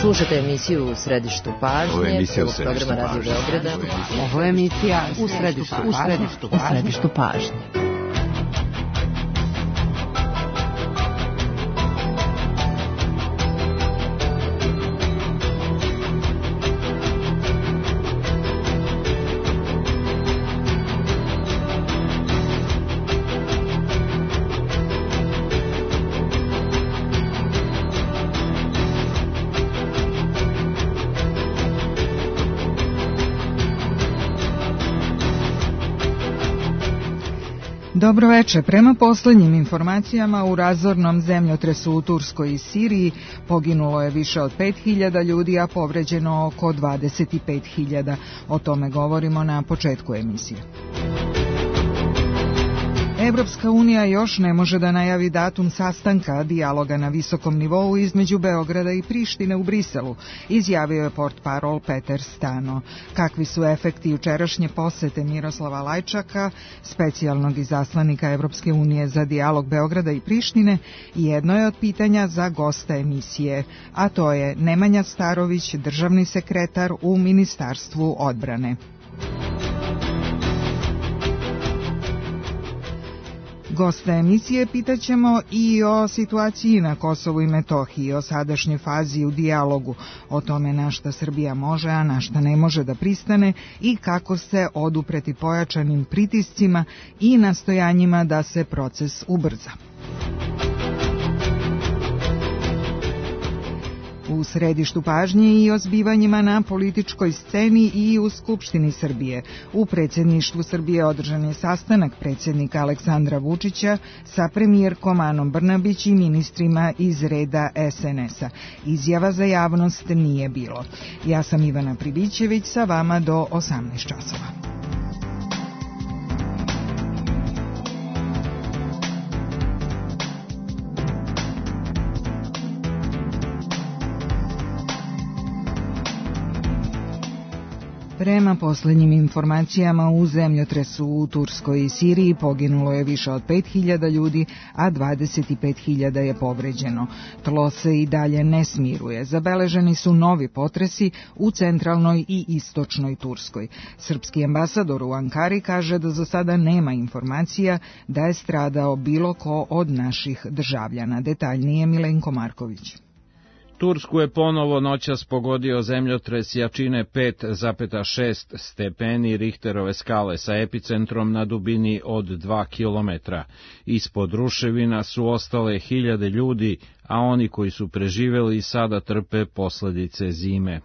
Slušate emisiju U središtu pažnje, programa Radio Beograda. Ovo je emisija U središtu pažnje. Dobro večer. Prema poslednjim informacijama, u razornom zemljotresu u Turskoj i Siriji poginulo je više od 5.000 ljudi, a povređeno oko 25.000. O tome govorimo na početku emisije. Evropska unija još ne može da najavi datum sastanka dijaloga na visokom nivou između Beograda i Prištine u Briselu, izjavio je portparol Peter Stano. Kakvi su efekti jučerašnje posete Miroslava Lajčaka, specijalnog izaslanika Evropske unije za dijalog Beograda i Prištine, jedno je od pitanja za gosta emisije, a to je Nemanja Starović, državni sekretar u Ministarstvu odbrane. Gosta emisije pitaćemo i o situaciji na Kosovu i Metohiji, o sadašnjoj fazi u dijalogu, o tome na šta Srbija može, a na šta ne može da pristane i kako se odupreti pojačanim pritiscima i nastojanjima da se proces ubrza. U središtu pažnje i o zbivanjima na političkoj sceni i u Skupštini Srbije. U predsjedništvu Srbije održan je sastanak predsjednika Aleksandra Vučića sa premijerkom Anom Brnabić i ministrima iz reda SNS-a. Izjava za javnost nije bilo. Ja sam Ivana Pribićević, sa vama do 18 časova. Prema posljednjim informacijama, u zemljotresu u Turskoj i Siriji poginulo je više od 5.000 ljudi, a 25.000 je povređeno. Tlo se i dalje ne smiruje. Zabeleženi su novi potresi u centralnoj i istočnoj Turskoj. Srpski ambasador u Ankari kaže da za sada nema informacija da je stradao bilo ko od naših državljana. Detaljnije Milenko Marković. Tursku je ponovo noćas pogodio zemljotres jačine 5,6 stepeni Richterove skale sa epicentrom na dubini od 2 kilometra. Ispod ruševina su ostale hiljade ljudi, a oni koji su preživeli sada trpe posledice zime.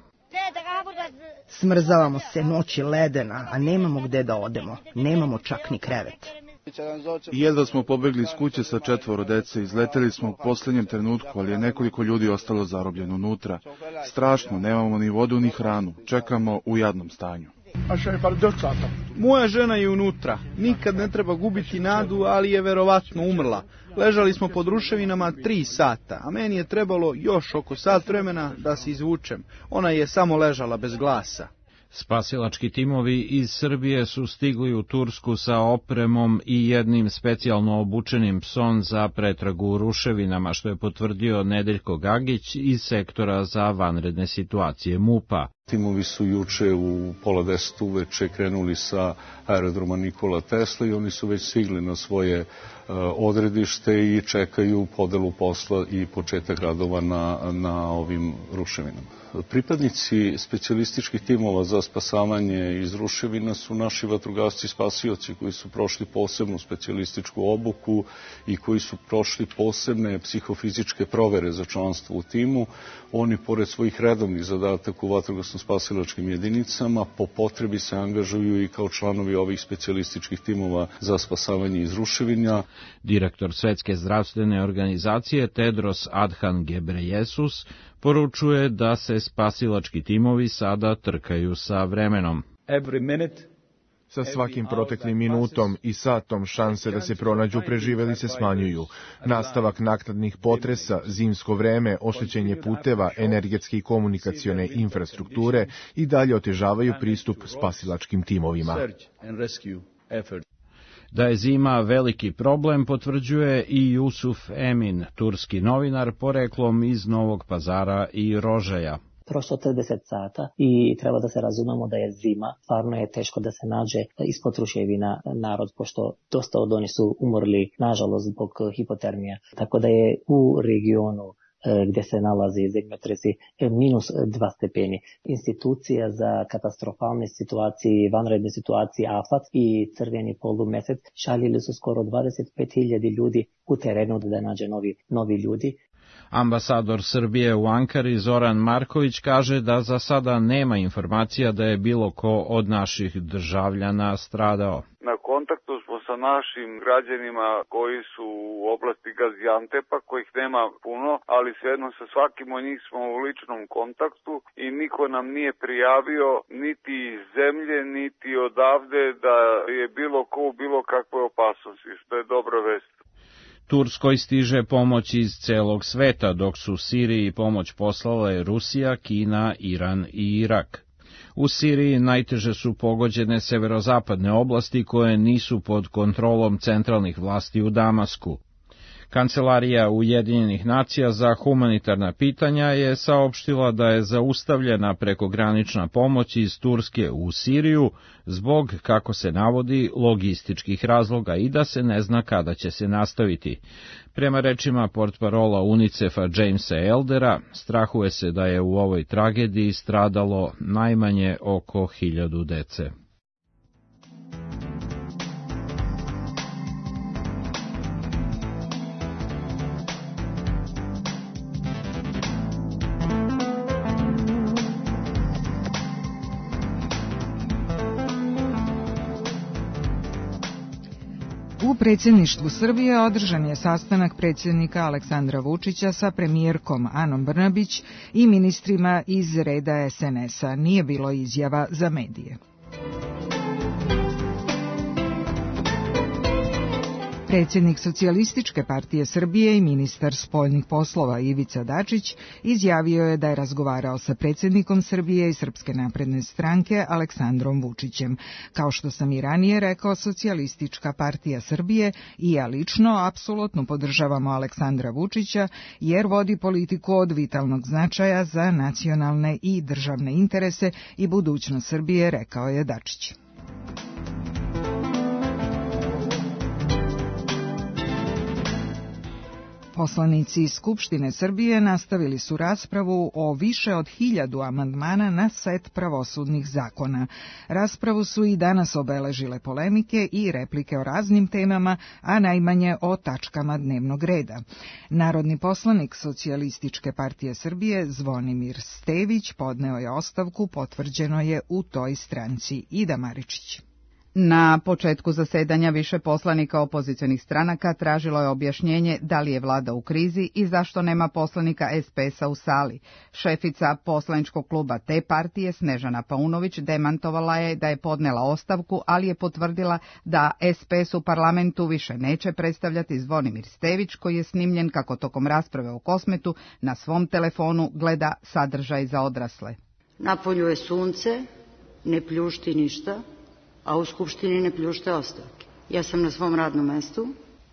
Smrzavamo se, noć je ledena, a nemamo gde da odemo. Nemamo čak ni krevet. Jedva smo pobegli iz kuće sa 4 dece, izleteli smo u posljednjem trenutku, ali je nekoliko ljudi ostalo zarobljeno unutra. Strašno, nemamo ni vodu ni hranu, čekamo u jadnom stanju. Moja žena je unutra, nikad ne treba gubiti nadu, ali je verovatno umrla. Ležali smo pod ruševinama 3 sata, a meni je trebalo još oko sat vremena da se izvučem. Ona je samo ležala bez glasa. Spasilački timovi iz Srbije su stigli u Tursku sa opremom i jednim specijalno obučenim psom za pretragu u ruševinama, što je potvrdio Nedeljko Gagić iz sektora za vanredne situacije MUP-a. Timovi su juče u 9:30 uveče krenuli sa aerodroma Nikola Tesla i oni su već stigli na svoje odredište i čekaju podelu posla i početak radova na ovim ruševinama. Pripadnici specijalističkih timova za spasavanje iz ruševina su naši vatrogasci spasioci koji su prošli posebnu specijalističku obuku i koji su prošli posebne psihofizičke provere za članstvo u timu. Oni, pored svojih redovnih zadataka u vatrogasno-spasilačkim jedinicama, po potrebi se angažuju i kao članovi ovih specijalističkih timova za spasavanje iz ruševina. Direktor Svetske zdravstvene organizacije Tedros Adhanom Ghebreyesus poručuje da se spasilački timovi sada trkaju sa vremenom. Sa svakim proteklim minutom i satom šanse da se pronađu preživeli se smanjuju. Nastavak naknadnih potresa, zimsko vreme, oštećenje puteva, energetske i komunikacione infrastrukture i dalje otežavaju pristup spasilačkim timovima. Da je zima veliki problem potvrđuje i Jusuf Emin, turski novinar poreklom iz Novog Pazara i Rožaja. Prošlo 30 sata i treba da se razumemo da je zima. Stvarno je teško da se nađe ispod ruševina narod, pošto dosta od oni su umrli, nažalost, zbog hipotermije. Tako da je u regionu gdje se nalazi zemljotresi -2 stepeni. Institucija za katastrofalne situacije, vanredne situacije AFAT i Crveni polumesec šaljili su skoro 25.000 ljudi u terenu da nađe novi ljudi. Ambasador Srbije u Ankari Zoran Marković kaže da za sada nema informacija da je bilo ko od naših državljana stradao. Na kontaktu smo sa našim građanima koji su u oblasti Gaziantepa, kojih nema puno, ali svejedno sa svakim od njih smo u ličnom kontaktu i niko nam nije prijavio niti iz zemlje, niti odavde da je bilo ko u bilo kakvoj opasnosti, što je dobra vest. Turskoj stiže pomoć iz celog sveta, dok su Siriji pomoć poslale Rusija, Kina, Iran i Irak. U Siriji najteže su pogođene severozapadne oblasti koje nisu pod kontrolom centralnih vlasti u Damasku. Kancelarija Ujedinjenih nacija za humanitarna pitanja je saopštila da je zaustavljena prekogranična pomoć iz Turske u Siriju zbog, kako se navodi, logističkih razloga i da se ne zna kada će se nastaviti. Prema rečima portparola UNICEF-a Jamesa Eldera, strahuje se da je u ovoj tragediji stradalo najmanje oko 1000 dece. U predsjedništvu Srbije održan je sastanak predsjednika Aleksandra Vučića sa premijerkom Anom Brnabić i ministrima iz reda SNS-a. Nije bilo izjava za medije. Predsjednik Socijalističke partije Srbije i ministar spoljnih poslova Ivica Dačić izjavio je da je razgovarao sa predsjednikom Srbije i Srpske napredne stranke Aleksandrom Vučićem. Kao što sam i ranije rekao, Socijalistička partija Srbije i ja lično apsolutno podržavamo Aleksandra Vučića jer vodi politiku od vitalnog značaja za nacionalne i državne interese i budućnost Srbije, rekao je Dačić. Poslanici iz Skupštine Srbije nastavili su raspravu o više od 1000 amandmana na set pravosudnih zakona. Raspravu su i danas obeležile polemike i replike o raznim temama, a najmanje o tačkama dnevnog reda. Narodni poslanik Socijalističke partije Srbije Zvonimir Stević podneo je ostavku, potvrđeno je u toj stranci. Ida Maričić. Na početku zasedanja više poslanika opozicionih stranaka tražilo je objašnjenje da li je vlada u krizi i zašto nema poslanika SPS-a u sali. Šefica poslaničkog kluba te partije, Snežana Paunović, demantovala je da je podnela ostavku, ali je potvrdila da SPS u parlamentu više neće predstavljati Zvonimir Stević, koji je snimljen kako tokom rasprave o Kosmetu na svom telefonu gleda sadržaj za odrasle. Napolju je sunce, ne pljušti ništa, a u Skupštini ne pljušte ostavke. Ja sam na svom radnom mestu.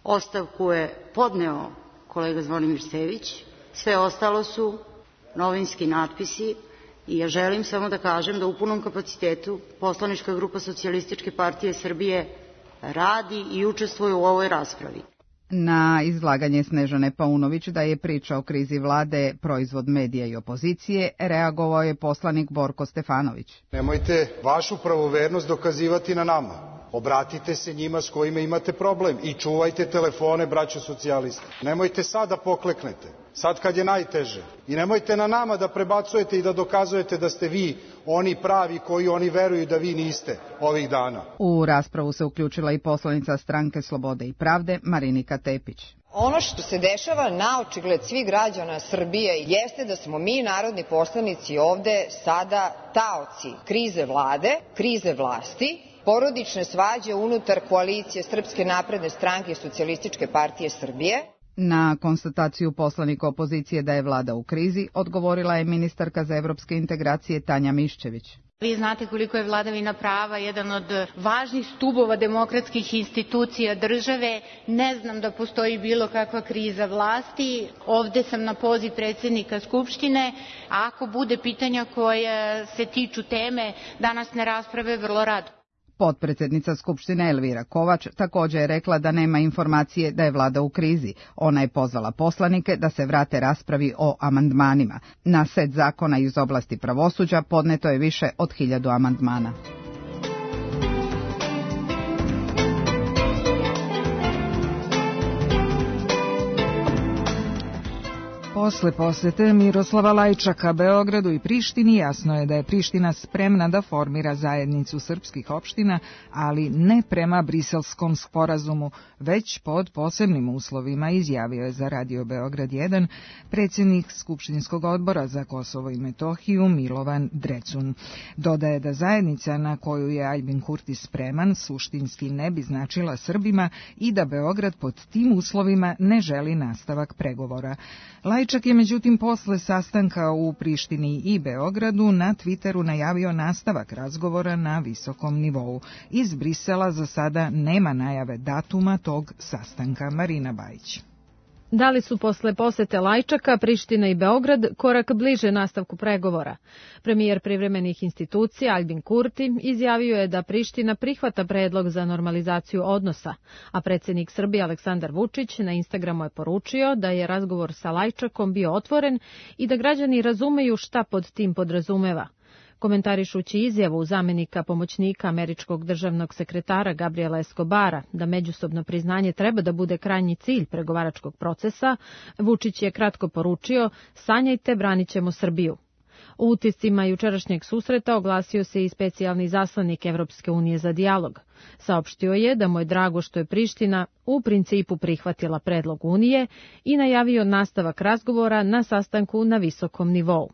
Ostavku je podneo kolega Zvonimir Stević. Sve ostalo su novinski natpisi i ja želim samo da kažem da u punom kapacitetu poslanička grupa Socijalističke partije Srbije radi i učestvuje u ovoj raspravi. Na izlaganje Snežane Paunović da je priča o krizi vlade proizvod medija i opozicije, reagovao je poslanik Borko Stefanović. Nemojte vašu pravovernost dokazivati na nama. Obratite se njima s kojima imate problem i čuvajte telefone, braćo socijalisti. Nemojte sad da pokleknete, sad kad je najteže. I nemojte na nama da prebacujete i da dokazujete da ste vi oni pravi koji oni veruju da vi niste ovih dana. U raspravu se uključila i poslanica Stranke Slobode i pravde Marinika Tepić. Ono što se dešava na očigled svih građana Srbije jeste da smo mi, narodni poslanici, ovde sada taoci krize vlade, krize vlasti, porodične svađe unutar koalicije Srpske napredne stranke i Socijalističke partije Srbije. Na konstataciju poslanika opozicije da je vlada u krizi odgovorila je ministarka za evropske integracije Tanja Miščević. Vi znate koliko je vladavina prava jedan od važnih stubova demokratskih institucija države. Ne znam da postoji bilo kakva kriza vlasti. Ovde sam na poziv predsjednika Skupštine. Ako bude pitanja koja se tiču teme današnje rasprave, vrlo rado. Potpredsjednica Skupštine Elvira Kovač također je rekla da nema informacije da je vlada u krizi. Ona je pozvala poslanike da se vrate raspravi o amandmanima. Na set zakona iz oblasti pravosuđa podneto je više od 1000 amandmana. Posle posete Miroslava Lajčaka Beogradu i Prištini jasno je da je Priština spremna da formira zajednicu srpskih opština, ali ne prema Briselskom sporazumu, već pod posebnim uslovima, izjavio je za Radio Beograd 1 predsjednik Skupštinskog odbora za Kosovo i Metohiju Milovan Drecun. Dodaje da zajednica na koju je Aljbin Kurti spreman suštinski ne bi značila Srbima i da Beograd pod tim uslovima ne želi nastavak pregovora. Lajčak je međutim posle sastanka u Prištini i Beogradu na Twitteru najavio nastavak razgovora na visokom nivou. Iz Brisela za sada nema najave datuma tog sastanka. Marina Bajić. Da li su posle posete Lajčaka, Priština i Beograd korak bliže nastavku pregovora? Premijer privremenih institucija Aljbin Kurti izjavio je da Priština prihvata predlog za normalizaciju odnosa, a predsjednik Srbije Aleksandar Vučić na Instagramu je poručio da je razgovor sa Lajčakom bio otvoren i da građani razumeju šta pod tim podrazumeva. Komentarišući izjavu zamenika pomoćnika američkog državnog sekretara Gabriela Escobara da međusobno priznanje treba da bude krajnji cilj pregovaračkog procesa, Vučić je kratko poručio: sanjajte, branit ćemo Srbiju. U utiscima jučerašnjeg susreta oglasio se i specijalni zaslanik Evropske unije za dijalog. Saopštio je da mu je drago što je Priština u principu prihvatila predlog Unije i najavio nastavak razgovora na sastanku na visokom nivou.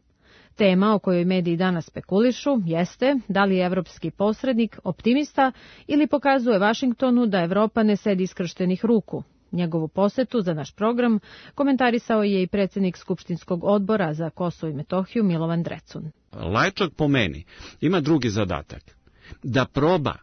Tema o kojoj mediji danas spekulišu jeste da li je evropski posrednik optimista ili pokazuje Vašingtonu da Evropa ne sedi skrštenih ruku. Njegovu posetu za naš program komentarisao je i predsjednik Skupštinskog odbora za Kosovo i Metohiju Milovan Drecun. Lajčak po meni ima drugi zadatak, da proba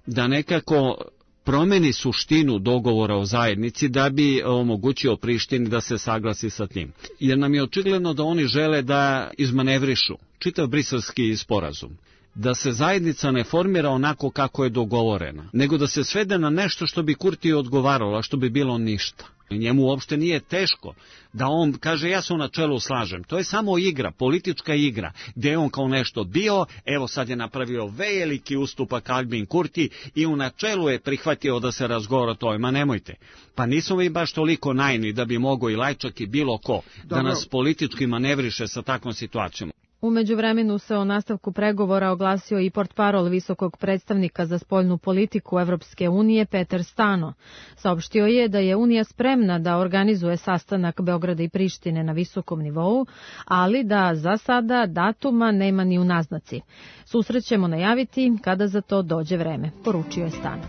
da nekako promeni suštinu dogovora o zajednici da bi omogućio Prištini da se saglasi sa tim. Jer nam je očigledno da oni žele da izmanevrišu čitav briselski sporazum. Da se zajednica ne formira onako kako je dogovorena, nego da se svede na nešto što bi Kurti odgovaralo, a što bi bilo ništa. Njemu uopšte nije teško da on kaže ja se u načelu slažem. To je samo igra, politička igra, gdje je on kao nešto bio, evo sad je napravio veliki ustupak Aljbin Kurti i u načelu je prihvatio da se razgovara o tome. Ma nemojte, pa nismo mi baš toliko naivni da bi mogao i Lajčak i bilo ko da nas politički manevriše sa takvom situacijom. U međuvremenu se o nastavku pregovora oglasio i portparol visokog predstavnika za spoljnu politiku Evropske unije Peter Stano. Saopštio je da je Unija spremna da organizuje sastanak Beograda i Prištine na visokom nivou, ali da za sada datuma nema ni u naznaci. Susret ćemo najaviti kada za to dođe vreme, poručio je Stano.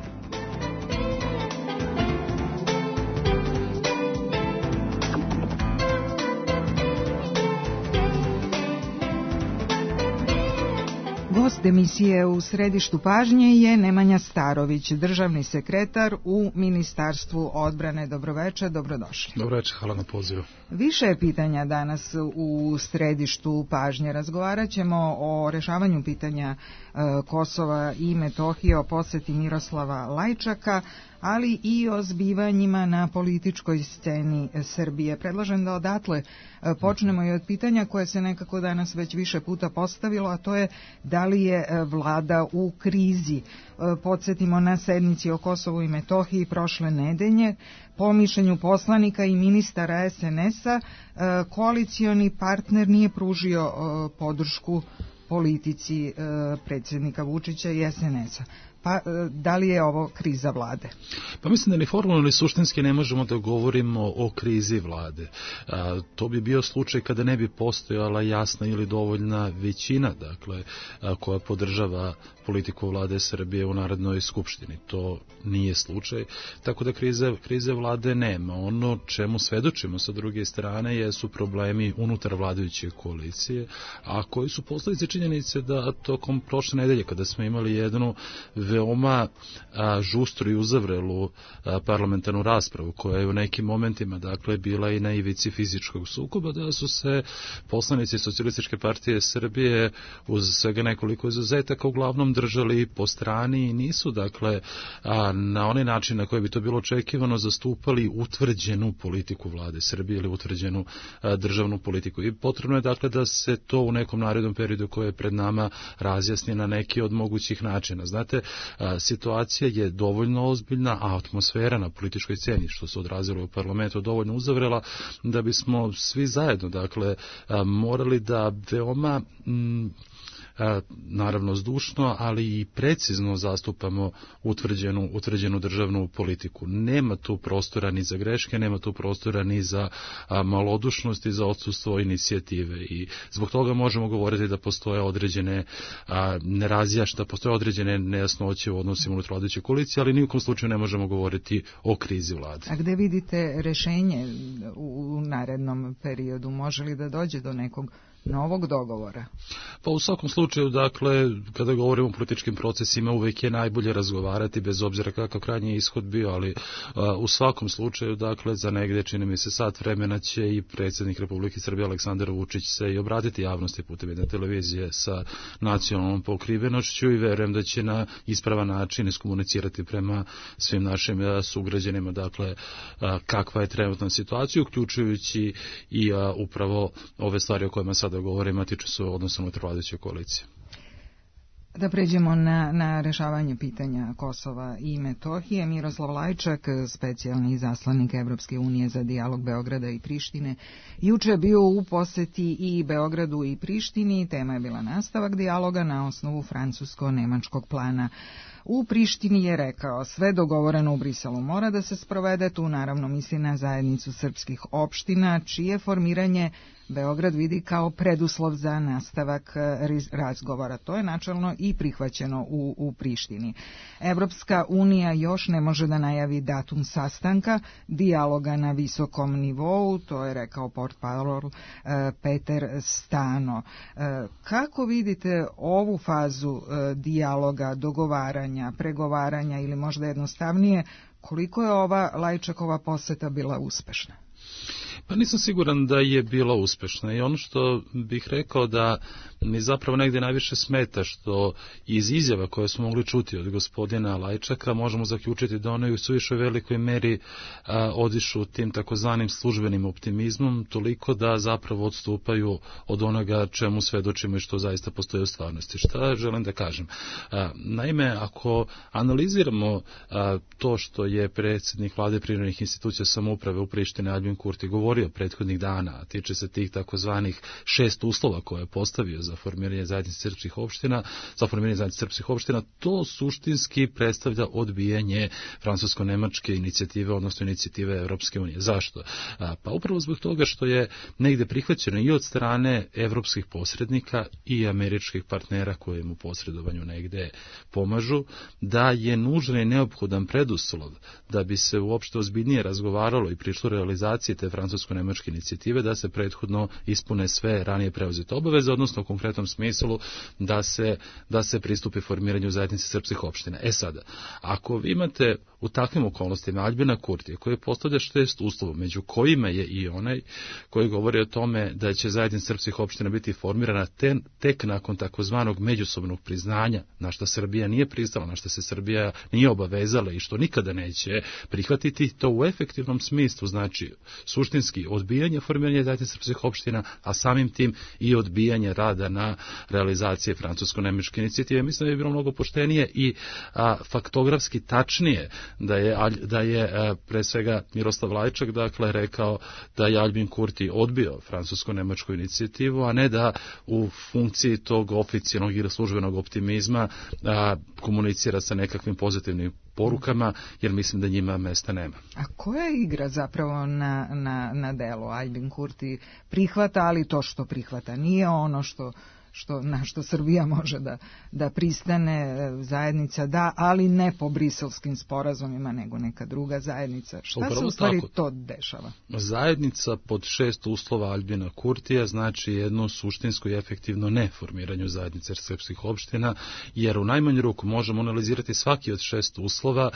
Gost emisije u središtu pažnje je Nemanja Starović, državni sekretar u Ministarstvu odbrane. Dobroveče, dobrodošli. Dobroveče, hvala na pozivu. Više je pitanja danas u središtu pažnje. Razgovarat ćemo o rešavanju pitanja Kosova i Metohije, o poseti Miroslava Lajčaka, ali i o zbivanjima na političkoj sceni Srbije. Predlažem da odatle počnemo i od pitanja koje se nekako danas već više puta postavilo, a to je da li je vlada u krizi. Podsjetimo, na sednici o Kosovu i Metohiji prošle nedelje, po mišljenju poslanika i ministara SNS-a, koalicioni partner nije pružio podršku politici predsjednika Vučića i SNS-a. Pa da li je ovo kriza vlade? Pa mislim da ni formalno ni suštinski ne možemo da govorimo o krizi vlade. To bi bio slučaj kada ne bi postojala jasna ili dovoljna većina, dakle, koja podržava politiku vlade Srbije u Narodnoj skupštini. To nije slučaj, tako da krize vlade nema. Ono čemu svedočimo sa druge strane jesu problemi unutar vladajuće koalicije, a koji su posljedice činjenice da tokom prošle nedelje, kada smo imali jednu veoma žustru i uzavrelu parlamentarnu raspravu, koja je u nekim momentima, dakle, bila i na ivici fizičkog sukoba, da su se poslanici Socijalističke partije Srbije uz svega nekoliko izuzetaka uglavnom držali po strani i nisu, dakle, na onaj način na koji bi to bilo očekivano zastupali utvrđenu politiku vlade Srbije ili utvrđenu državnu politiku. I potrebno je, dakle, da se to u nekom narednom periodu koje je pred nama razjasni na neki od mogućih načina. Znate, situacija je dovoljno ozbiljna, a atmosfera na političkoj sceni, što se odrazilo u parlamentu, dovoljno uzavrela da bismo svi zajedno, dakle, morali da veoma naravno zdušno, ali i precizno zastupamo utvrđenu državnu politiku. Nema tu prostora ni za greške, nema tu prostora ni za malodušnost i za odsustvo inicijative. I zbog toga možemo govoriti da postoje određene nerazjašnjenja, postoje određene nejasnoće u odnosima unutar vladajuće koalicije, ali ni u kom slučaju ne možemo govoriti o krizi vlade. A gde vidite rešenje u narednom periodu? Može li da dođe do nekog novog dogovora? Pa u svakom slučaju, dakle, kada govorimo o političkim procesima, uvek je najbolje razgovarati, bez obzira kakav krajnji ishod bio, ali u svakom slučaju, dakle, za negde, čini mi se, sat vremena će i predsjednik Republike Srbije Aleksandar Vučić se i obratiti javnosti putem jedne televizije sa nacionalnom pokrivenošću i verujem da će na ispravan način iskomunicirati prema svim našim sugrađanima, dakle, kakva je trenutna situacija, uključujući i upravo ove stvari o kojima sada govorimo, tiču se odnosno unutar vladajuće koalicije. Da pređemo na rešavanje pitanja Kosova i Metohije. Miroslav Lajčak, specijalni izaslanik Evropske unije za dijalog Beograda i Prištine, juče je bio u poseti i Beogradu i Prištini. Tema je bila nastavak dijaloga na osnovu francusko-nemačkog plana. U Prištini je rekao, sve dogovoreno u Briselu mora da se sprovede, tu naravno misli na zajednicu srpskih opština, čije formiranje Beograd vidi kao preduslov za nastavak razgovora. To je načelno i prihvaćeno u Prištini. Evropska unija još ne može da najavi datum sastanka dijaloga na visokom nivou, to je rekao portparol Peter Stano. Kako vidite ovu fazu dijaloga, dogovaranja, pregovaranja ili možda jednostavnije, koliko je ova Lajčakova poseta bila uspešna? Pa nisam siguran da je bila uspešna i ono što bih rekao da mi zapravo negdje najviše smeta što iz izjava koje smo mogli čuti od gospodina Lajčaka možemo zaključiti da one u suviše velikoj meri odišu tim takozvanim službenim optimizmom toliko da zapravo odstupaju od onoga čemu svedočimo i što zaista postoji u stvarnosti. Šta želim da kažem? Naime, ako analiziramo to što je predsjednik vlade privremenih institucija samouprave u Prištini Albin Kurti govorio prethodnih dana, a tiče se tih takozvanih 6 uslova koje je postavio za formiranje zajednice srpskih opština, to suštinski predstavlja odbijanje francusko-nemačke inicijative, odnosno inicijative Evropske unije. Zašto? Pa upravo zbog toga što je negde prihvaćeno i od strane evropskih posrednika i američkih partnera koji im u posredovanju negde pomažu, da je nužan i neophodan preduslov da bi se uopšte ozbiljnije razgovaralo i prišlo realizacije te francusko-nemačke inicijative, da se prethodno ispune sve ranije preuzete obaveze, odnosno u konkretnom smislu da se pristupi formiranju zajednice srpskih opština. Sada, ako vi imate u takvim okolnostima Albina Kurtija koji postavlja 6 uslova, među kojima je i onaj koji govori o tome da će zajednica srpskih opština biti formirana tek nakon takozvanog međusobnog priznanja, na što Srbija nije pristala, na što se Srbija nije obavezala i što nikada neće prihvatiti, to u efektivnom smislu znači suštinski odbijanje formiranja zajednice srpskih opština, a samim tim i odbijanje rada rada na realizaciji francusko-nemačke inicijative. Mislim da je bilo mnogo poštenije i faktografski tačnije da je pre svega Miroslav Lajčak dakle rekao da je Albin Kurti odbio francusko-nemačku inicijativu, a ne da u funkciji tog oficijalnog ili službenog optimizma komunicira sa nekakvim pozitivnim porukama, jer mislim da njima mesta nema. A koja igra zapravo na delu? Albin Kurti prihvata, ali to što prihvata nije ono na što Srbija može da pristane, zajednica da, ali ne po briselskim sporazumima, nego neka druga zajednica. Šta se u stvari to dešava? Zajednica pod 6 uslova Albina Kurtija znači jedno suštinsko i efektivno neformiranju zajednice srpskih opština, jer u najmanju ruku možemo analizirati svaki od 6 uslova,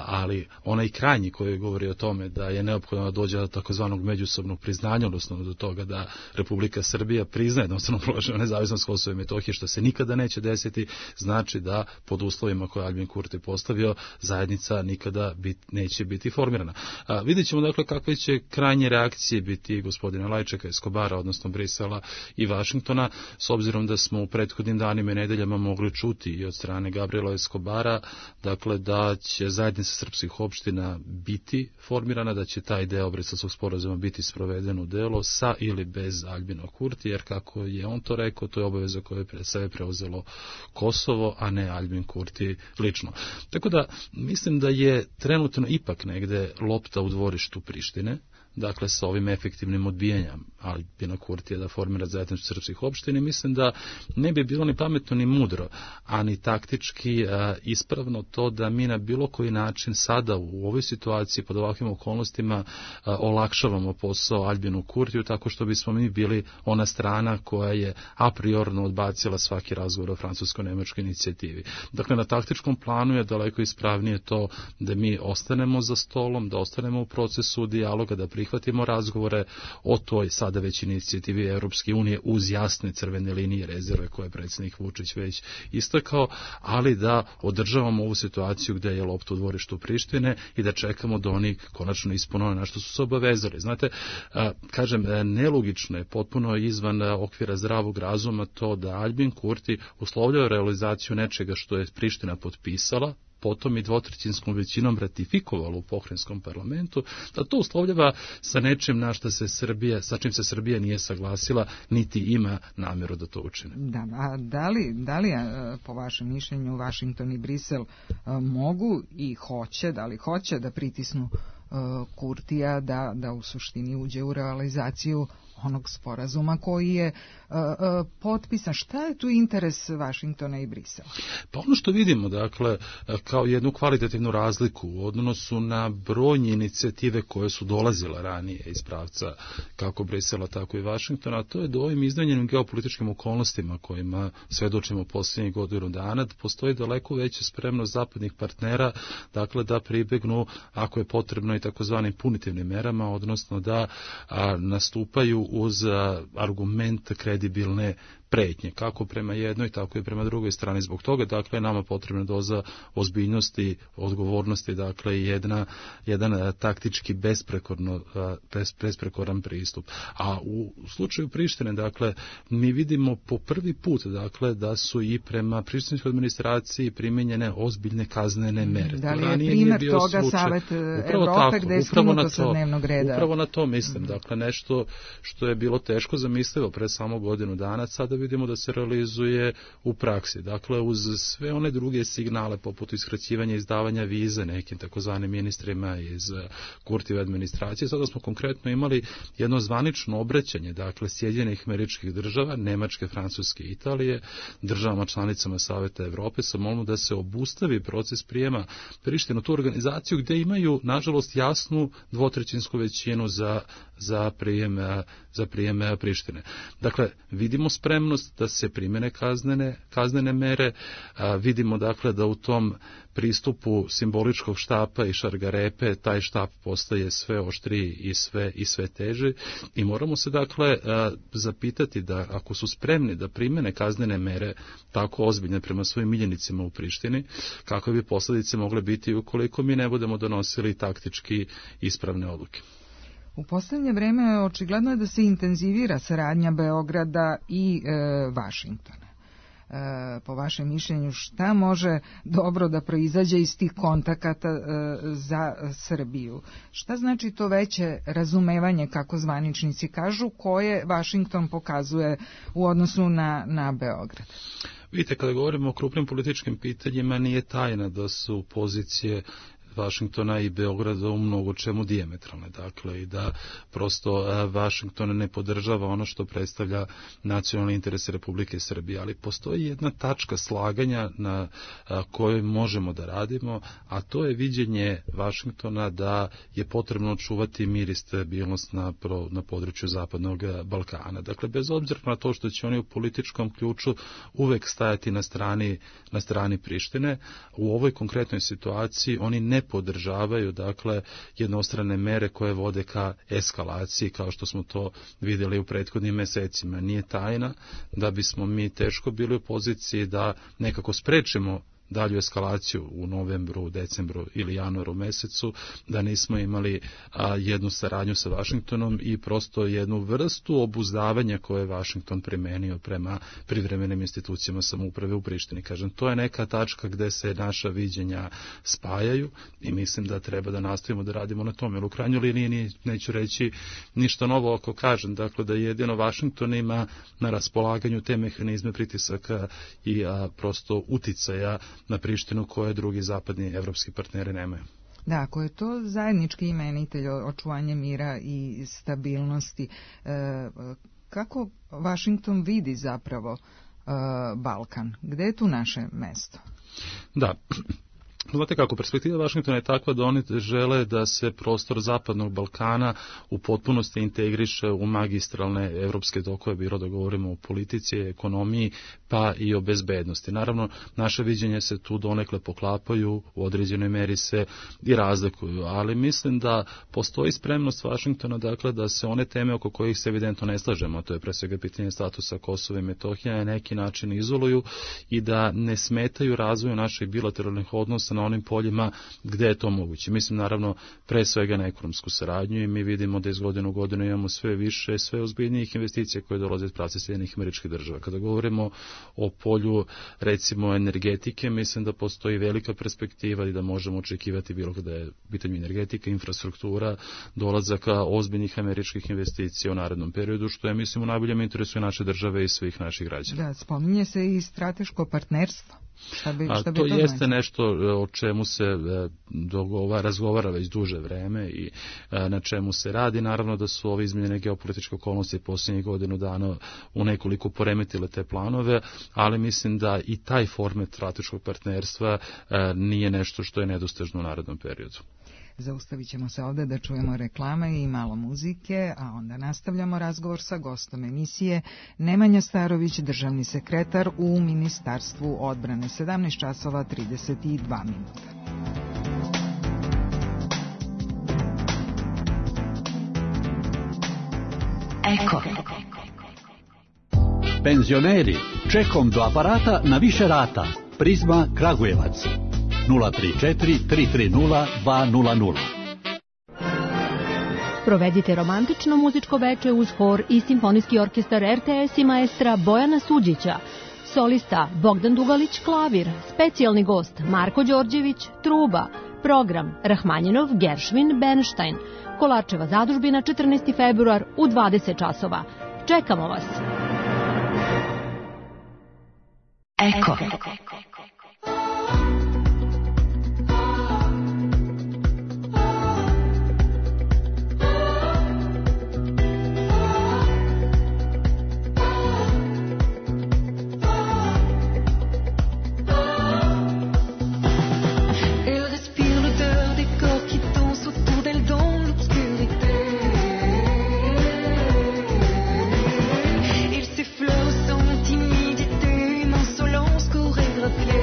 ali onaj krajnji koji govori o tome da je neophodno da dođe do takozvanog međusobnog priznanja, odnosno do toga da Republika Srbija priznaje jednostavno položaj nezavisnost Kosova i Metohije, što se nikada neće desiti, znači da pod uslovima koje Albin Kurti postavio, zajednica nikada neće biti formirana. Vidjet ćemo dakle kakve će krajnje reakcije biti gospodina Lajčeka, Eskobara, odnosno Brisela i Vašingtona, s obzirom da smo u prethodnim danima i nedeljama mogli čuti i od strane Gabriela Eskobara, dakle da će zajednica srpskih opština biti formirana, da će taj deo Briselskog sporazuma biti sproveden u delo sa ili bez Albina Kurti, jer kako je on to rekao, to je obaveza koje je sebe preuzelo Kosovo, a ne Albin Kurti lično. Tako da mislim da je trenutno ipak negde lopta u dvorištu Prištine, dakle sa ovim efektivnim odbijanjem Albina Kurtija da formira zajednicu srpskih opština, mislim da ne bi bilo ni pametno ni mudro, a ni taktički ispravno to da mi na bilo koji način sada u ovoj situaciji pod ovakvim okolnostima olakšavamo posao Albinu Kurtiju tako što bismo mi bili ona strana koja je a priorno odbacila svaki razgovor o francusko-nemačkoj inicijativi. Dakle, na taktičkom planu je daleko ispravnije to da mi ostanemo za stolom, da ostanemo u procesu dijaloga, da prihvatimo razgovore o toj sada već inicijativi Europske unije uz jasne crvene linije rezerve koje je predsjednik Vučić već istakao, ali da održavamo ovu situaciju gdje je lopta u dvorištu Prištine i da čekamo da oni konačno ispune na što su se obavezali. Znate, kažem, nelogično je, potpuno izvan okvira zdravog razuma to da Albin Kurti uslovljava realizaciju nečega što je Priština potpisala, potom i dvotrećinskom većinom ratifikovalo u pokrajinskom parlamentu, da to uslovljava sa nečim sa čim se Srbija nije saglasila, niti ima namjeru da to učine. Da, a da li po vašem mišljenju Vašington i Brisel mogu i hoće da pritisnu Kurtija da u suštini uđe u realizaciju onog sporazuma koji je potpisan? Šta je tu interes Vašingtona i Brisela? Pa ono što vidimo, dakle, kao jednu kvalitativnu razliku u odnosu na brojne inicijative koje su dolazile ranije iz pravca kako Brisela, tako i Vašingtona, a to je da ovim izmenjenim geopolitičkim okolnostima kojima svedočimo posljednjih godinu dana, postoji daleko veća spremnost zapadnih partnera, dakle, da pribegnu, ako je potrebno, i takozvanim punitivnim merama, odnosno da nastupaju uz argument kredibilne pretnje, kako prema jednoj, tako i prema drugoj strani. Zbog toga, dakle, nama potrebna doza ozbiljnosti, odgovornosti, dakle, jedan taktički besprekoran pristup. A u slučaju Prištine, dakle, mi vidimo po prvi put, dakle, da su i prema prištinskoj administraciji primenjene ozbiljne kaznene mere. Da li je primjer toga Savet Evrope gde je skinuto sa dnevnog reda? Upravo na to mislim. Dakle, nešto što je bilo teško zamislivo pre samo godinu dana, sada vidimo da se realizuje u praksi. Dakle, uz sve one druge signale, poput iskraćivanja i izdavanja vize nekim takozvanim ministrima iz Kurtijeve administracije, sada smo konkretno imali jedno zvanično obraćanje, dakle, Sjedinjenih Američkih Država, Nemačke, Francuske i Italije, državama članicama Saveta Evrope, sa molbom da se obustavi proces prijema Prištine u tu organizaciju gdje imaju, nažalost, jasnu dvotrećinsku većinu za prijem Prištine. Dakle, vidimo spremnost da se primene kaznene mere, vidimo, dakle, da u tom pristupu simboličkog štapa i šargarepe taj štap postaje sve oštriji i sve teži i moramo se, dakle, zapitati da ako su spremni da primene kaznene mere tako ozbiljne prema svojim miljenicima u Prištini, kakve bi posljedice mogle biti ukoliko mi ne budemo donosili taktički ispravne odluke. U posljednje vreme očigledno je da se intenzivira saradnja Beograda i Vašingtona. Po vašem mišljenju, šta može dobro da proizađe iz tih kontakata za Srbiju? Šta znači to veće razumevanje, kako zvaničnici kažu, koje Vašington pokazuje u odnosu na Beograd? Vidite, kada govorimo o krupnim političkim pitanjima, nije tajna da su pozicije Vašingtona i Beograda u mnogo čemu dijametralne, dakle, i da prosto Vašington ne podržava ono što predstavlja nacionalni interes Republike Srbije, ali postoji jedna tačka slaganja na kojoj možemo da radimo, a to je viđenje Vašingtona da je potrebno čuvati mir i stabilnost na području Zapadnog Balkana. Dakle, bez obzira na to što će oni u političkom ključu uvek stajati na strani Prištine, u ovoj konkretnoj situaciji oni ne podržavaju, dakle, jednostrane mere koje vode ka eskalaciji, kao što smo to vidjeli u prethodnim mesecima. Nije tajna da bismo mi teško bili u poziciji da nekako sprečimo dalju eskalaciju u novembru, decembru ili januaru mesecu, da nismo imali jednu saradnju sa Vašingtonom i prosto jednu vrstu obuzdavanja koje je Vašington primenio prema privremenim institucijama samouprave u Prištini. Kažem, to je neka tačka gde se naša viđenja spajaju i mislim da treba da nastavimo da radimo na tome. Jer u krajnjoj liniji neću reći ništa novo ako kažem, dakle, da jedino Vašington ima na raspolaganju te mehanizme pritisaka i prosto uticaja na Prištinu koje drugi zapadni evropski partneri nemaju. Da, ako je to zajednički imenitelj očuvanje mira i stabilnosti, kako Vašington vidi zapravo Balkan? Gde je tu naše mesto? Da, znate kako, perspektiva Vašingtona je takva da oni žele da se prostor Zapadnog Balkana u potpunosti integriše u magistralne evropske tokove, bilo da govorimo o politici, ekonomiji, pa i o bezbednosti. Naravno, naše viđenje se tu donekle poklapaju, u određenoj meri se i razlikuju, ali mislim da postoji spremnost Vašingtona, dakle, da se one teme oko kojih se evidentno ne slažemo, to je pre svega pitanje statusa Kosova i Metohije, na neki način izoluju i da ne smetaju razvoju naših bilateralnih odnosa na onim poljima gde je to moguće. Mislim, naravno, pre svega na ekonomsku saradnju i mi vidimo da iz godine u godinu imamo sve više, sve ozbiljnijih investicija koje dolaze iz pravca Sjedinjenih Američkih Država. Kada govorimo o polju, recimo, energetike, mislim da postoji velika perspektiva i da možemo očekivati bilo kada je pitanje energetika, infrastruktura, dolazaka ozbiljnih američkih investicija u narednom periodu, što je, mislim, u najboljem interesu naše države i svih naših građana. Da, spominje se i strateško partnerstvo. Šta bi to jeste nešto o čemu se razgovara već duže vreme i na čemu se radi. Naravno da su ove izmenjene geopolitičke okolnosti posljednjih godinu dana u nekoliko poremetile te planove, ali mislim da i taj format strateškog partnerstva nije nešto što je nedostižno u narednom periodu. Zaustavit ćemo se ovdje da čujemo reklame i malo muzike, a onda nastavljamo razgovor sa gostom emisije Nemanja Starović, državni sekretar u Ministarstvu odbrane. 17 časova 32 minuta. Eko. Penzioneri, čekom do aparata na više rata. Prizma Kragujevac. 034 330 200. Provedite romantično muzičko veče uz hor i simfonijski orkestar RTS i maestra Bojana Suđića. Solista Bogdan Dugalić klavir, specijalni gost Marko Đorđević truba, program Rahmanjinov, Geršvin, Bernstein. Kolarčeva zadužbina 14. februar u 20 časova. Čekamo vas. Eko. Ils s'effleurent sans timidité, une insolence chorégraphiée.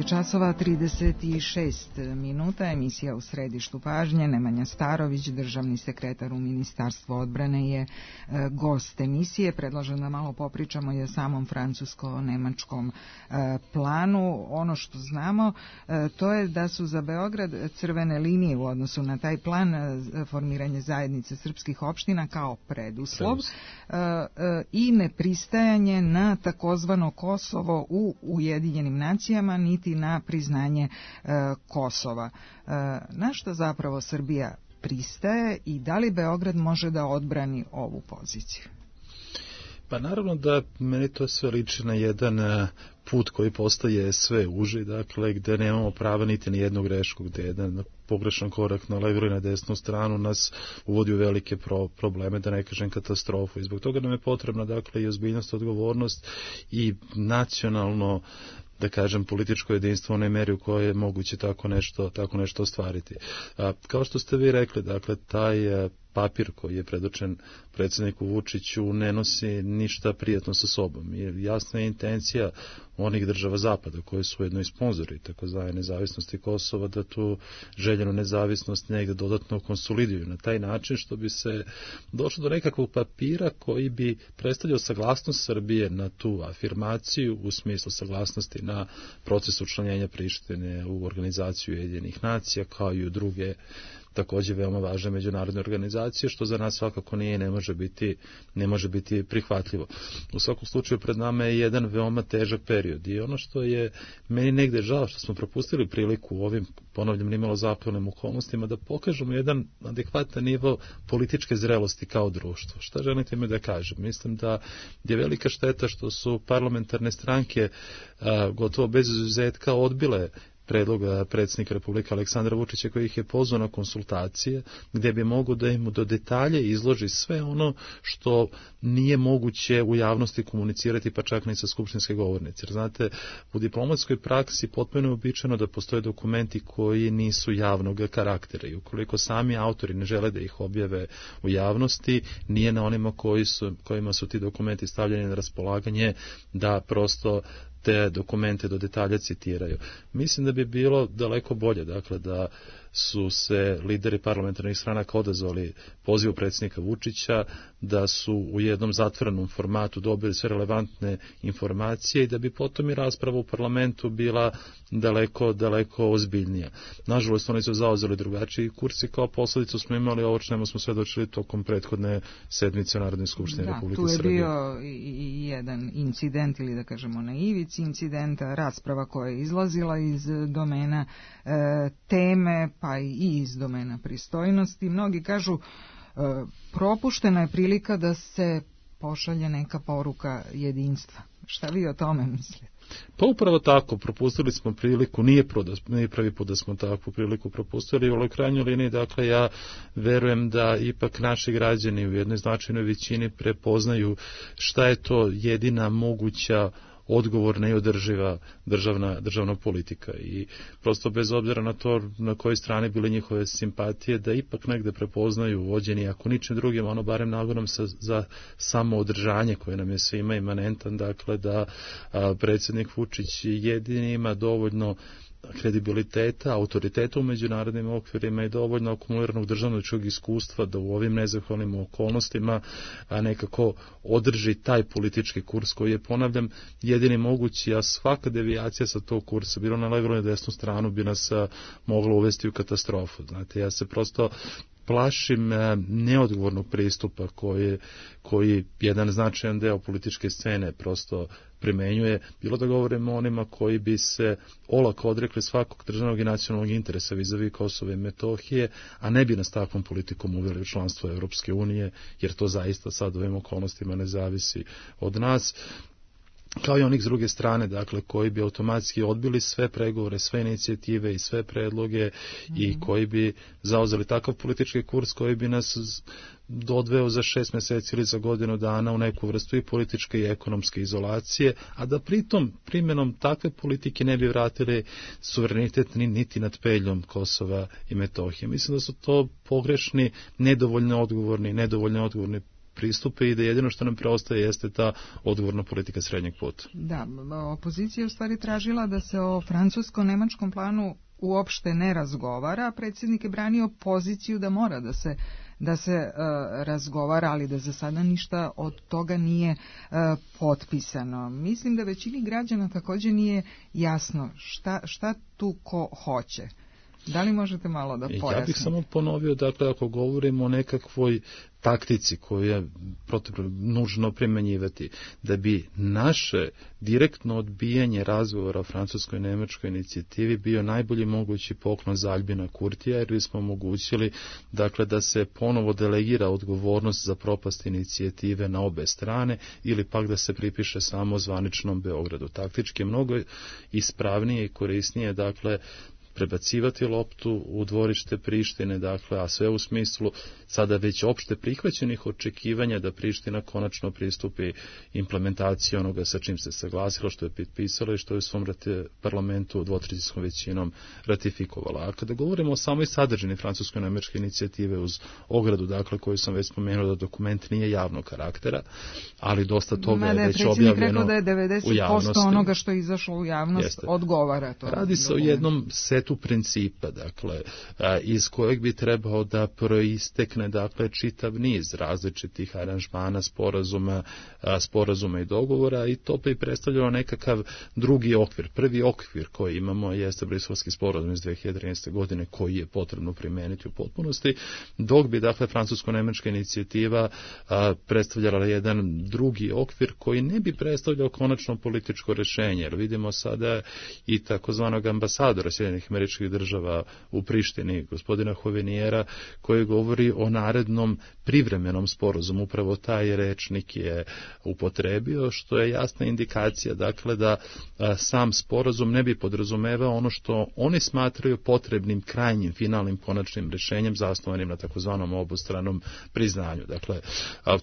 časova 36 minuta, emisija U središtu pažnje. Nemanja Starović, državni sekretar u Ministarstvu odbrane, je gost emisije. Predlažem da malo popričamo i o samom francusko-nemačkom planu. Ono što znamo, to je da su za Beograd crvene linije u odnosu na taj plan formiranje zajednice srpskih opština kao preduslov i nepristajanje na takozvano Kosovo u Ujedinjenim nacijama, niti na priznanje Kosova. Na što zapravo Srbija pristaje i da li Beograd može da odbrani ovu poziciju? Pa naravno da meni to sve liči na jedan put koji postaje sve uži, dakle gde nemamo prava niti na jednu grešku, gde jedan pogrešan korak na levu ili na desnu stranu nas uvodi u velike probleme, da ne kažem katastrofu. I zbog toga nam je potrebna dakle i ozbiljnost, odgovornost i nacionalno, da kažem, političko jedinstvo u onoj meri u kojoj je moguće tako nešto ostvariti. Kao što ste vi rekli, dakle, taj papir koji je predočen predsjedniku Vučiću ne nosi ništa prijatno sa sobom. Jasna je intencija onih država Zapada koje su ujedno i sponzori takozvane nezavisnosti Kosova, da tu željenu nezavisnost negdje dodatno konsoliduju na taj način što bi se došlo do nekakvog papira koji bi predstavljao saglasnost Srbije na tu afirmaciju u smislu saglasnosti na proces učlanjenja Prištine u organizaciju Ujedinjenih nacija kao i u druge također veoma važne međunarodne organizacije, što za nas svakako nije i ne može biti prihvatljivo. U svakom slučaju pred nama je jedan veoma težak period. period. I ono što je meni negde žao što smo propustili priliku u ovim, ponavljam, nimalo zakonom okolnostima da pokažemo jedan adekvatan nivo političke zrelosti kao društvo. Šta želite me da kažem? Mislim da je velika šteta što su parlamentarne stranke gotovo bez izuzetka odbile predloga predsjednika Republike Aleksandra Vučića koji ih je pozvao na konsultacije gdje bi mogo da im do detalje izloži sve ono što nije moguće u javnosti komunicirati pa čak ni sa skupštinske govornice. Jer znate, u diplomatskoj praksi potpuno je uobičajeno da postoje dokumenti koji nisu javnog karaktera i ukoliko sami autori ne žele da ih objave u javnosti, nije na onima kojima su ti dokumenti stavljeni na raspolaganje da prosto te dokumente do detalja citiraju. Mislim da bi bilo daleko bolje, dakle, da su se lideri parlamentarnih stranaka odazvali pozivu predsjednika Vučića, da su u jednom zatvorenom formatu dobili sve relevantne informacije i da bi potom i rasprava u parlamentu bila daleko ozbiljnija. Nažalost, oni su zauzeli drugačiji kurs i kao posljedicu smo imali ovo čemu smo svedočili tokom prethodne sedmice u Narodnoj skupštini Republike Srbije. Tu je bio i jedan incident, ili da kažemo na ivici incidenta, rasprava koja je izlazila iz domena teme, pa i iz domena pristojnosti. Mnogi kažu propuštena je prilika da se pošalje neka poruka jedinstva. Šta vi o tome mislite? Pa upravo tako, propustili smo priliku, nije prvi put da smo takvu priliku propustili, u krajnjoj liniji, dakle, ja verujem da ipak naši građani u jednoj značajnoj većini prepoznaju šta je to jedina moguća odgovorna i održiva državna politika i prosto bez obzira na to na kojoj strani bile njihove simpatije, da ipak negde prepoznaju vođeni, ako ničim drugim, ono barem nagonom za samoodržanje koje nam je svima imanentan, dakle da predsjednik Vučić jedini ima dovoljno kredibiliteta, autoriteta u međunarodnim okvirima i dovoljno akumuliranog državničkog iskustva da u ovim nezahvalnim okolnostima nekako održi taj politički kurs koji je, ponavljam, jedini mogući, a svaka devijacija sa tog kursa, bilo na levu ili desnu stranu, bi nas mogla uvesti u katastrofu. Znate, ja se prosto plašim neodgovornog pristupa koji jedan značajan deo političke scene prosto primenjuje, bilo da govorimo o onima koji bi se olako odrekli svakog državnog i nacionalnog interesa vis-a-vis Kosova i Metohije, a ne bi nas takvom politikom uveli u članstvo Europske unije, jer to zaista sad u ovim okolnostima ne zavisi od nas, kao i onih s druge strane, dakle, koji bi automatski odbili sve pregovore, sve inicijative i sve predloge i koji bi zauzeli takav politički kurs koji bi nas odveo za 6 mjeseci ili za godinu dana u neku vrstu i političke i ekonomske izolacije, a da pritom primjenom takve politike ne bi vratili suverenitet niti nad peljom Kosova i Metohije. Mislim da su to pogrešni, nedovoljno odgovorni pristupe i da jedino što nam preostaje jeste ta odgovorna politika srednjeg puta. Da, opozicija je u stvari tražila da se o francusko-nemačkom planu uopšte ne razgovara, a predsjednik je branio poziciju da mora da se razgovara, ali da za sada ništa od toga nije potpisano. Mislim da većini građana također nije jasno šta tu ko hoće. Da li možete malo da pojasnite? Ja bih samo ponovio, dakle, ako govorimo o nekakvoj taktici koju je nužno primjenjivati, da bi naše direktno odbijanje razgovora o francuskoj i nemačkoj inicijativi bio najbolji mogući poklon za Albina Kurtija, jer bismo omogućili, dakle, da se ponovo delegira odgovornost za propast inicijative na obe strane ili pak da se pripiše samo zvaničnom Beogradu. Taktički je mnogo ispravnije i korisnije, dakle, prebacivati loptu u dvorište Prištine, dakle, a sve u smislu sada već opšte prihvaćenih očekivanja da Priština konačno pristupi implementaciji onoga sa čim se saglasilo, što je potpisalo i što je u svom parlamentu dvotrećinskom većinom ratifikovala. A kada govorimo o samoj sadržini francusko-nemačke inicijative uz ogradu, dakle, koju sam već spomenuo da dokument nije javnog karaktera, ali dosta toga je već objavljeno rekao da je 90% u javnosti. Onoga što je izašlo u javnost odgovara to. Radi se o jednom setu setu principa, dakle, iz kojeg bi trebao da proistekne, dakle, čitav niz različitih aranžmana, sporazuma i dogovora, i to bi predstavljalo nekakav drugi okvir. Prvi okvir koji imamo jeste Briselski sporazum iz 2013. godine, koji je potrebno primeniti u potpunosti, dok bi, dakle, francusko-nemačka inicijativa predstavljala jedan drugi okvir koji ne bi predstavljao konačno političko rešenje, jer vidimo sada i takozvanog ambasadora Sjedinjenih Američkih Država u Prištini, gospodina Hovenijera, koji govori o narednom privremenom sporazumu. Upravo taj rečnik je upotrebio, što je jasna indikacija, dakle, da sam sporazum ne bi podrazumevao ono što oni smatraju potrebnim krajnjim, finalnim, konačnim rešenjem zasnovanim na takozvanom obostranom priznanju. Dakle,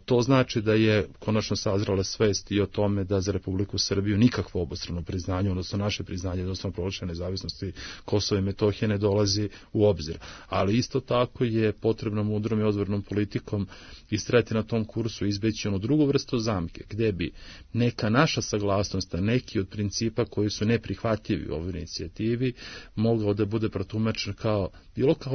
to znači da je konačno sazrela svest i o tome da za Republiku Srbiju nikakvo obostrano priznanje, odnosno naše priznanje jednostavno proglašene nezavisnosti Kosova i Metohije ne dolazi u obzir. Ali isto tako je potrebno mudrom i odgovornom politikom istrajati na tom kursu, izbeći onu drugu vrstu zamke, gde bi neka naša saglasnost, neki od principa koji su neprihvatljivi u ovoj inicijativi, mogao da bude protumačen kao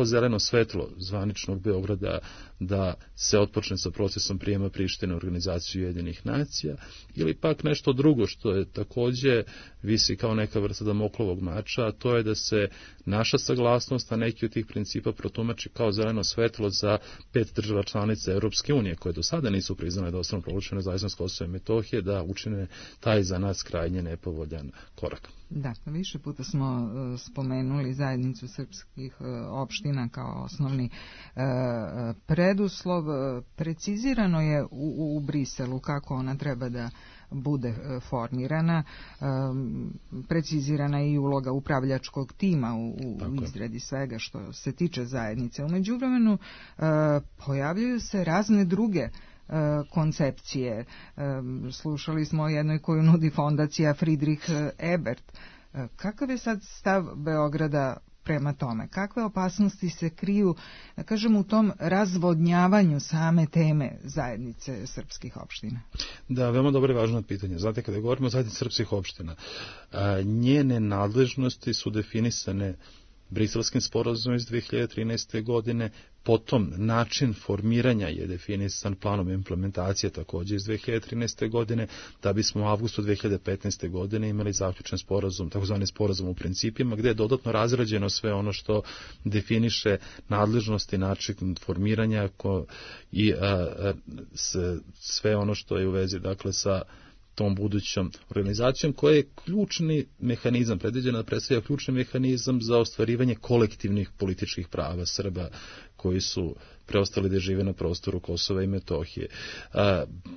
zeleno svetlo zvaničnog Beograda da se otpočne sa procesom prijema Prištine u Organizaciju Ujedinjenih nacija, ili pak nešto drugo što je takođe visi kao neka vrsta Damoklovog mača, a to je da se naša saglasnost na neki od tih principa protumači kao zeleno svetlo za 5 država članica Europske unije, koje do sada nisu priznale da ostanu proglašene nezavisnost Kosova i Metohije, da učine taj za nas krajnje nepovoljan korak. Da, više puta smo spomenuli zajednicu srpskih opština kao osnovni preduslov. Precizirano je u Briselu kako ona treba da bude formirana, precizirana je i uloga upravljačkog tima u izradi svega što se tiče zajednice. U međuvremenu pojavljuju se razne druge koncepcije. Slušali smo o jednoj koju nudi fondacija Friedrich Ebert. Kakav je sad stav Beograda prema tome? Kakve opasnosti se kriju, da kažem, u tom razvodnjavanju same teme zajednice srpskih opština? Da, veoma dobro i važno pitanje. Znate, kada govorimo o zajednici srpskih opština, njene nadležnosti su definisane Briselskim sporazumom iz 2013. godine, potom način formiranja je definisan planom implementacije takođe iz 2013. godine, da bismo u avgustu 2015. godine imali zaključen sporazum, takozvani sporazum u principima, gde je dodatno razrađeno sve ono što definiše nadležnosti, način formiranja i sve ono što je u vezi, dakle, sa tom budućom organizacijom, koja je ključni mehanizam, predviđena da predstavlja ključni mehanizam za ostvarivanje kolektivnih političkih prava Srba koji su preostali da žive na prostoru Kosova i Metohije.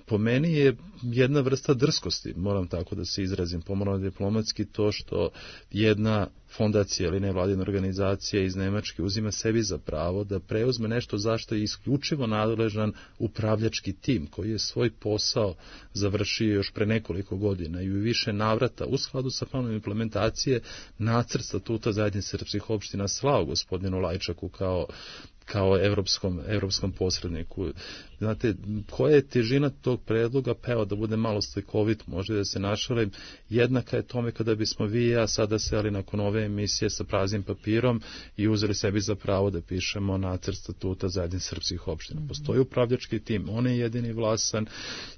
Po meni je jedna vrsta drskosti, moram tako da se izrazim pomalo diplomatski, to što jedna fondacija ili nevladina organizacija iz Nemačke uzima sebi za pravo da preuzme nešto zašto je isključivo nadležan upravljački tim koji je svoj posao završio još pre nekoliko godina i u više navrata u skladu sa planom implementacije nacrt statuta zajednice srpskih opština slao gospodinu Lajčaku kao evropskom posredniku. Znate, koja je težina tog predloga, pa evo da bude malo slikovit, možda da se našalim, jednaka je tome kada bismo vi i ja sada seli nakon ove emisije sa praznim papirom i uzeli sebi za pravo da pišemo nacrt statuta zajednice srpskih opština. Postoji upravljački tim, on je jedini vlasan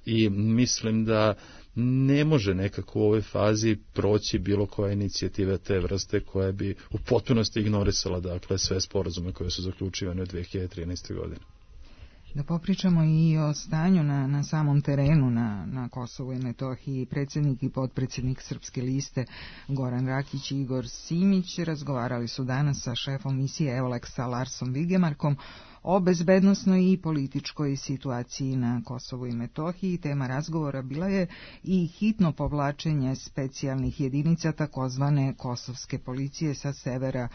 i mislim da ne može nekako u ovoj fazi proći bilo koja inicijativa te vrste koja bi u potpunosti ignorisala, dakle, sve sporazume koje su zaključivane u 2013. godine. Da popričamo i o stanju na samom terenu na Kosovu i Metohiji. Predsjednik i potpredsjednik Srpske liste Goran Rakić i Igor Simić razgovarali su danas sa šefom misije Euleksa Larsom Vigemarkom o bezbednosnoj i političkoj situaciji na Kosovu i Metohiji. Tema razgovora bila je i hitno povlačenje specijalnih jedinica takozvane kosovske policije sa severa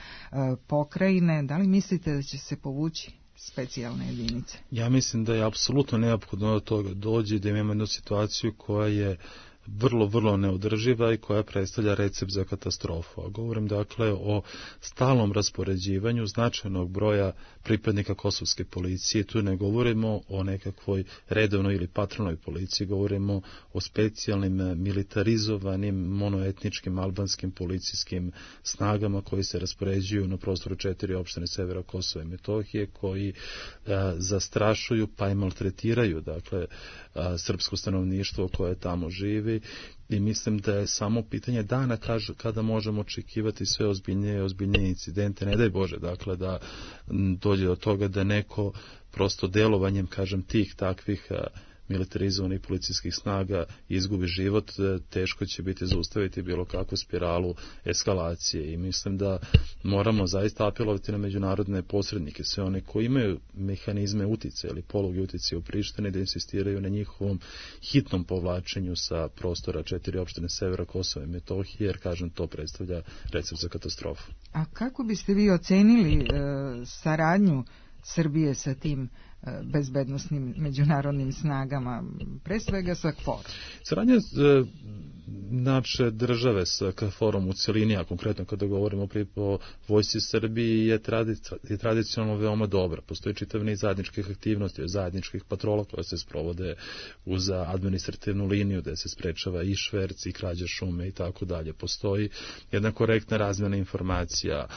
pokrajine. Da li mislite da će se povući specijalne jedinice? Ja mislim da je apsolutno neophodno do toga dođe, da imamo jednu situaciju koja je vrlo neodrživa i koja predstavlja recept za katastrofu. A govorim dakle o stalnom raspoređivanju značajnog broja pripadnika kosovske policije. Tu ne govorimo o nekakvoj redovnoj ili patronoj policiji, govorimo o specijalnim militarizovanim monoetničkim albanskim policijskim snagama koji se raspoređuju na prostoru 4 opštine severa Kosova i Metohije, koji zastrašuju pa i maltretiraju dakle srpsko stanovništvo koje tamo živi. I mislim da je samo pitanje dana kada možemo očekivati sve ozbiljnije incidente. Ne daj Bože, dakle, da dođe do toga da neko prosto delovanjem, kažem, tih takvih militarizovanih policijskih snaga izgubi život, teško će biti zaustaviti bilo kakvu spiralu eskalacije. I mislim da moramo zaista apelovati na međunarodne posrednike, sve one koji imaju mehanizme uticaja ili poluge uticaja u Prištini, da insistiraju na njihovom hitnom povlačenju sa prostora 4 opštine severa Kosova i Metohije, jer, kažem, to predstavlja recept za katastrofu. A kako biste vi ocenili saradnju Srbije sa tim bezbednosnim međunarodnim snagama, pre svega sa KFOR? Saradnja naše države sa KFOR-om u celini, a konkretno kada govorimo o vojsci Srbiji, je tradicionalno veoma dobra. Postoji čitav niz zajedničkih aktivnosti, zajedničkih patrola koje se sprovode uz administrativnu liniju gde se sprečava i šverc i krađa šume i tako dalje. Postoji jedna korektna razmjena informacija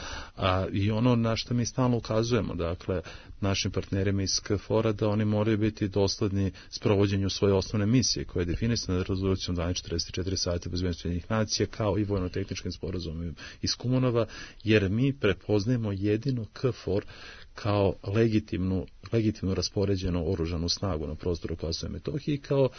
i ono na što mi stalno ukazujemo, dakle, našim partnerima iz KFOR-a, da oni moraju biti dosledni sprovođenju svoje osnovne misije koje je definisana rezolucijom 1244 Saveta bezbednosti Ujedinjenih nacija kao i vojno-tehničkim sporazumom iz Kumanova, jer mi prepoznajemo jedino KFOR kao legitimno raspoređenu oružanu snagu na prostoru Kosova i Metohije, kao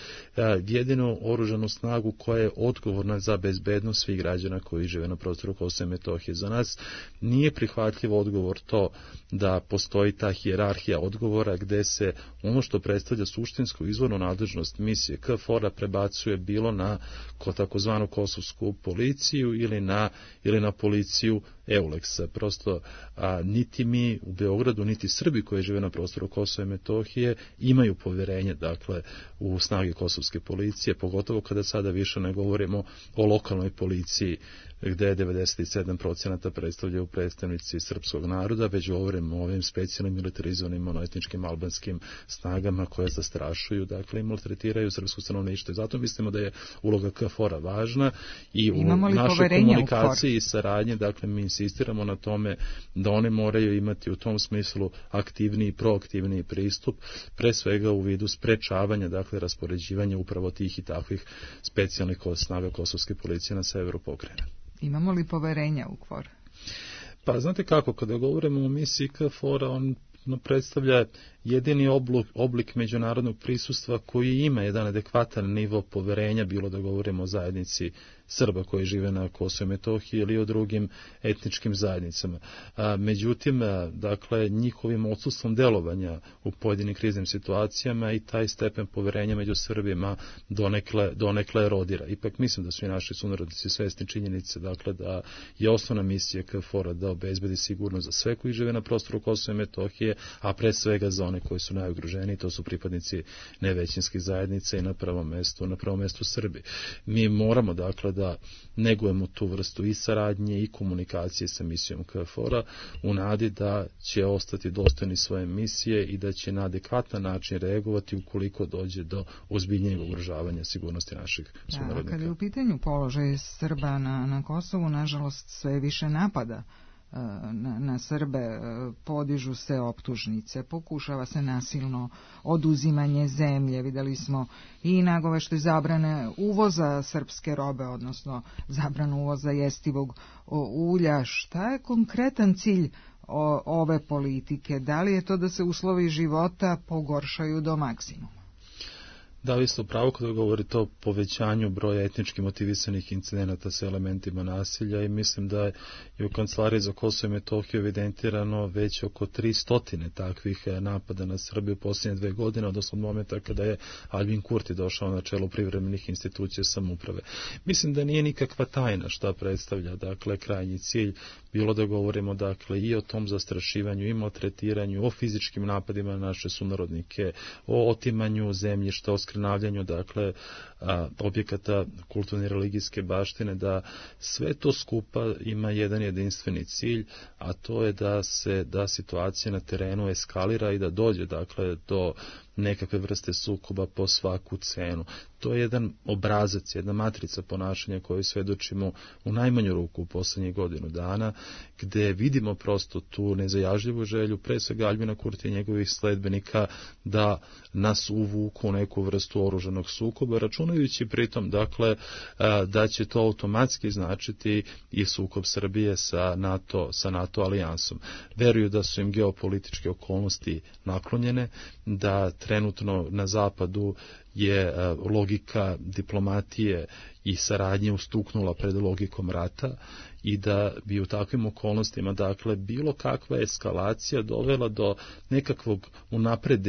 jedinu oružanu snagu koja je odgovorna za bezbednost svih građana koji žive na prostoru Kosova i Metohije. Za nas nije prihvatljiv odgovor to da postoji ta hijerarhija odgovora gde se ono što predstavlja suštinsku izvornu nadležnost misije KFOR-a prebacuje bilo na takozvanu kosovsku policiju ili na policiju EULEX-a. Prosto niti mi u Beogradu, niti Srbi koji žive na prostoru Kosova i Metohije imaju poverenje, dakle, u snage kosovske policije, pogotovo kada sada više ne govorimo o lokalnoj policiji gde 97% predstavljaju predstavnici srpskog naroda, već govorimo o ovim specijalnim militarizovanim monoetničkim albanskim snagama koje zastrašuju, dakle, i maltretiraju srpsko stanovništvo. I zato mislimo da je uloga KFOR-a važna i u našoj komunikaciji i saradnji, dakle, mi insistiramo na tome da one moraju imati u tom smislu aktivniji i proaktivniji pristup, pre svega u vidu sprečavanja, dakle, raspoređivanja upravo tih i takvih specijalnih snaga kosovske policije na severu pokrajine. Imamo li poverenja u KFOR? Pa znate kako, kada govorimo o misiji KFOR-a, on predstavlja jedini oblik međunarodnog prisustva koji ima jedan adekvatan nivo poverenja, bilo da govorimo o zajednici Srba koji žive na Kosovu i Metohiji ili o drugim etničkim zajednicama. Međutim, dakle, njihovim odsustvom delovanja u pojedinim kriznim situacijama i taj stepen poverenja među Srbima donekle erodira. Ipak mislim da su i naši sunarodnici svesni činjenice, dakle, da je osnovna misija KFOR-a da obezbedi sigurnost za sve koji žive na prostoru Kosova i Metohije, a pre svega za one koji su najugroženiji, to su pripadnici nevećinskih zajednica i na prvom mestu Srbi. Mi moramo, dakle, da negujemo tu vrstu i saradnje i komunikacije sa misijom KFOR-a u nadi da će ostati dostojni svoje misije i da će na adekvatan način reagovati ukoliko dođe do ozbiljnijeg ugrožavanja sigurnosti naših sunarodnika. Kada je u pitanju položaj Srba na Kosovu, nažalost, sve više napada na Srbe, podižu se optužnice, pokušava se nasilno oduzimanje zemlje, videli smo i nagovešte zabrane uvoza srpske robe, odnosno zabranu uvoza jestivog ulja. Šta je konkretan cilj ove politike? Da li je to da se uslovi života pogoršaju do maksimuma? Da, vi ste upravo kada govorite o povećanju broja etnički motivisanih incidenata sa elementima nasilja i mislim da je u Kancelariji za Kosovo i Metohiju evidentirano već oko 300 takvih napada na Srbiju u posljednje 2 godine, odnosno od momenta kada je Albin Kurti došao na čelo privremenih institucija samouprave. Mislim da nije nikakva tajna šta predstavlja, dakle, krajnji cilj, bilo da govorimo, dakle, i o tom zastrašivanju, i maltretiranju, o fizičkim napadima na naše sunarodnike, o otimanju zemljišta, o oskrnavljanju, dakle, objekata kulturne i religijske baštine, da sve to skupa ima jedan jedinstveni cilj, a to je da situacija na terenu eskalira i da dođe, dakle, do nekakve vrste sukoba po svaku cenu. To je jedan obrazac, jedna matrica ponašanja koju svedočimo u najmanju ruku u poslednjih godinu dana, gde vidimo prosto tu nezajažljivu želju, pre svega Aljbina Kurtija i njegovih sledbenika, da nas uvuku u neku vrstu oružanog sukoba, računajući pritom, dakle, da će to automatski značiti i sukob Srbije sa NATO alijansom. Veruju da su im geopolitičke okolnosti naklonjene, da trenutno na zapadu je logika diplomatije i saradnje ustuknula pred logikom rata i da bi u takvim okolnostima, dakle, bilo kakva eskalacija dovela do nekakvog unapred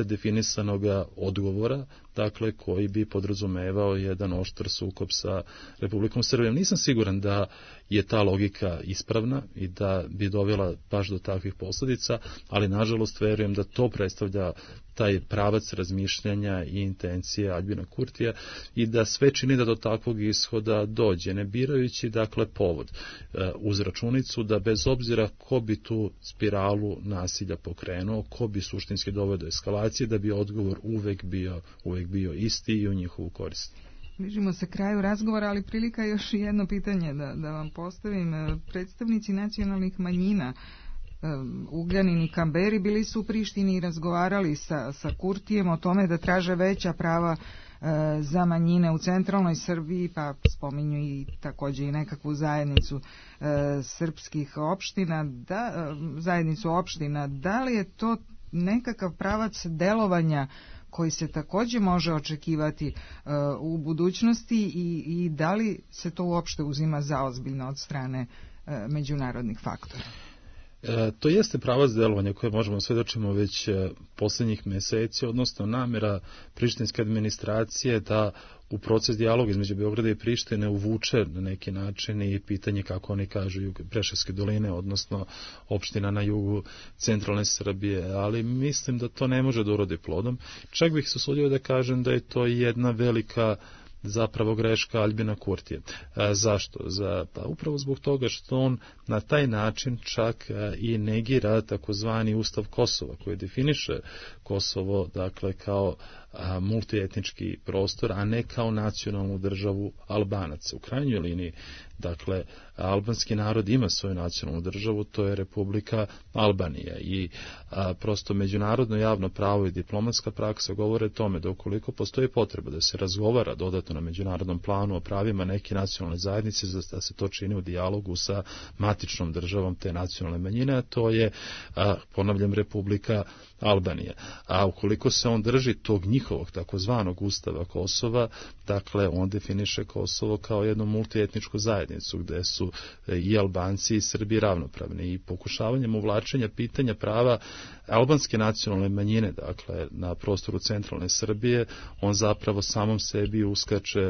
definisanog odgovora, dakle, koji bi podrazumevao jedan oštar sukob sa Republikom Srbijom. Nisam siguran da je ta logika ispravna i da bi dovela baš do takvih posljedica, ali nažalost verujem da to predstavlja taj pravac razmišljanja i intencije Aljbina Kurtija i da sve čini da do takvog ishoda dođe, ne birajući, dakle, povod, uz računicu da bez obzira ko bi tu spiralu nasilja pokrenuo, ko bi suštinski doveo do eskalacije, da bi odgovor uvek bio isti i u njihovu korist. Bližimo se kraju razgovora, ali prilika je još jedno pitanje da vam postavim. Predstavnici nacionalnih manjina Ugljanin i Kamberi bili su u Prištini i razgovarali sa Kurtijem o tome da traže veća prava za manjine u centralnoj Srbiji, pa spominju i također i nekakvu zajednicu srpskih opština, zajednicu opština. Da li je to nekakav pravac delovanja koji se također može očekivati u budućnosti i da li se to uopšte uzima zaozbiljno od strane međunarodnih faktora? To jeste pravac delovanja koje možemo svedočimo već posljednjih meseci, odnosno namjera prištinske administracije da u proces dijaloga između Beograda i Prištine uvuče na neki način i pitanje, kako oni kažu, Preševske doline, odnosno opština na jugu centralne Srbije, ali mislim da to ne može da urodi plodom. Čak bih se usudio da kažem da je to jedna velika zapravo greška Aljbina Kurtija. Zašto? Pa upravo zbog toga što on na taj način čak i negira takozvani Ustav Kosova, koji definiše Kosovo, dakle, kao multietnički prostor, a ne kao nacionalnu državu Albanaca. U krajnjoj liniji, dakle, albanski narod ima svoju nacionalnu državu, to je Republika Albanija i prosto međunarodno javno pravo i diplomatska praksa govore tome da ukoliko postoji potreba da se razgovara dodatno na međunarodnom planu o pravima neke nacionalne zajednice, da se to čini u dijalogu sa matičnom državom te nacionalne manjine, a to je, ponavljam, Republika Albanija. A ukoliko se on drži tog njihovog takozvanog Ustava Kosova, dakle, on definiše Kosovo kao jednu multietničku zajednicu gde su i Albanci i Srbi ravnopravni i pokušavanjem uvlačenja pitanja prava albanske nacionalne manjine, dakle, na prostoru centralne Srbije, on zapravo samom sebi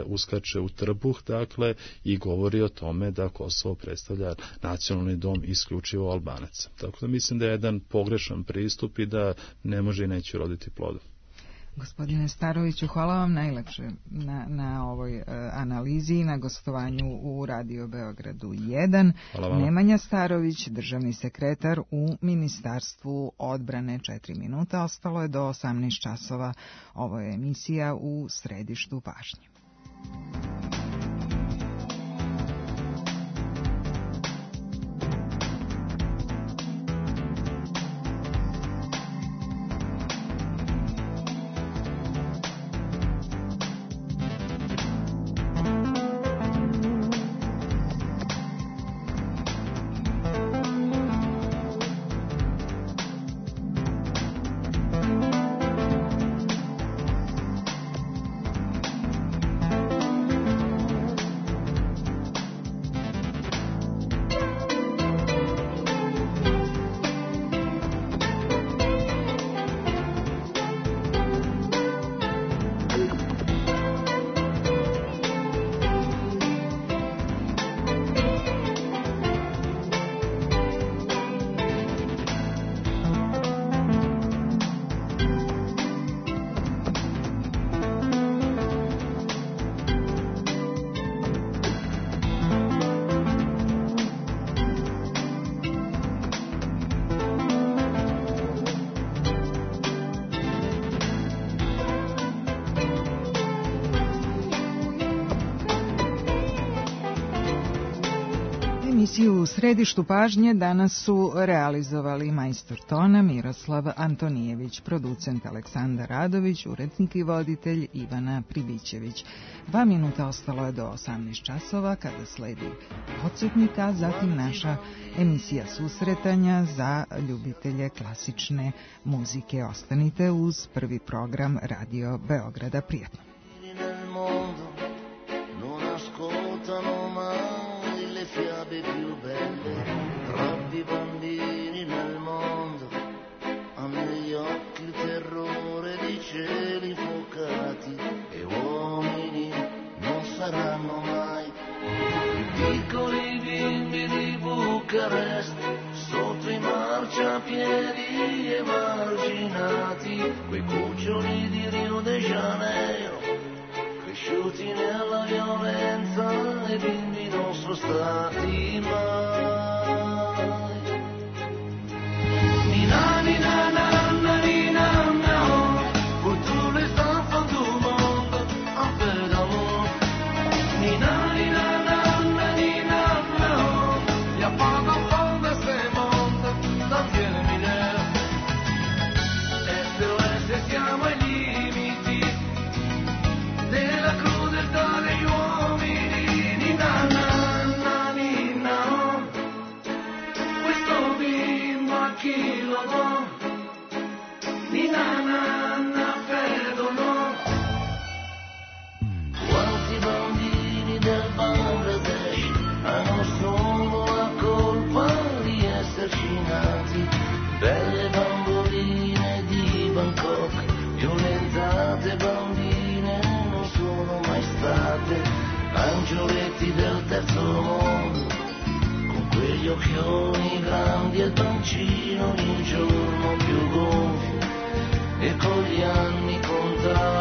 uskače u trbuh, dakle, i govori o tome da Kosovo predstavlja nacionalni dom isključivo Albanaca. Tako da mislim da je jedan pogrešan pristup i da ne može i neće roditi plodom. Gospodine Staroviću, hvala vam najlepše na ovoj analizi i na gostovanju u Radio Beogradu 1. Nemanja Starović, državni sekretar u Ministarstvu odbrane. 4 minuta, ostalo je do 18 časova. Ovo je emisija u središtu pažnje. Emisiju U središtu pažnje danas su realizovali majstor tona Miroslav Antonijević, producent Aleksandar Radović, urednik i voditelj Ivana Pribićević. 2 minuta ostalo je do 18 časova kada sledi podsjetnika, zatim naša emisija susretanja za ljubitelje klasične muzike. Ostanite uz prvi program Radio Beograda. Prijetno. Fiabe più belle, troppi bambini nel mondo hanno negli occhi il terrore di cieli infuocati e uomini non saranno mai piccoli bimbi di Bucarest sotto i marciapiedi emarginati, quei cuccioli di Rio de Janeiro cresciuti nella violenza e bimbi non sono stati mai. Nina, nina, nanna, nina, no, pour tous les enfants du monde, un peu d'amour. Nina, nina, nanna, nina, no, y'a pas d'enfant de ce monde, dans Dieu mineur. SOS siamo ai limiti della crudeltà degli uomini. Nina, nanna, nina, questo bimbo a chi lo do? Nina, nanna, credo no. Quanti bambini del Bangladesh hanno solo la colpa di esserci nati? Belle bamboline di Bangkok, violentate bambine non sono mai state, angioletti del terzo mondo, con quegli occhioni grandi e il pancino ogni giorno più gonfio, e con gli anni contati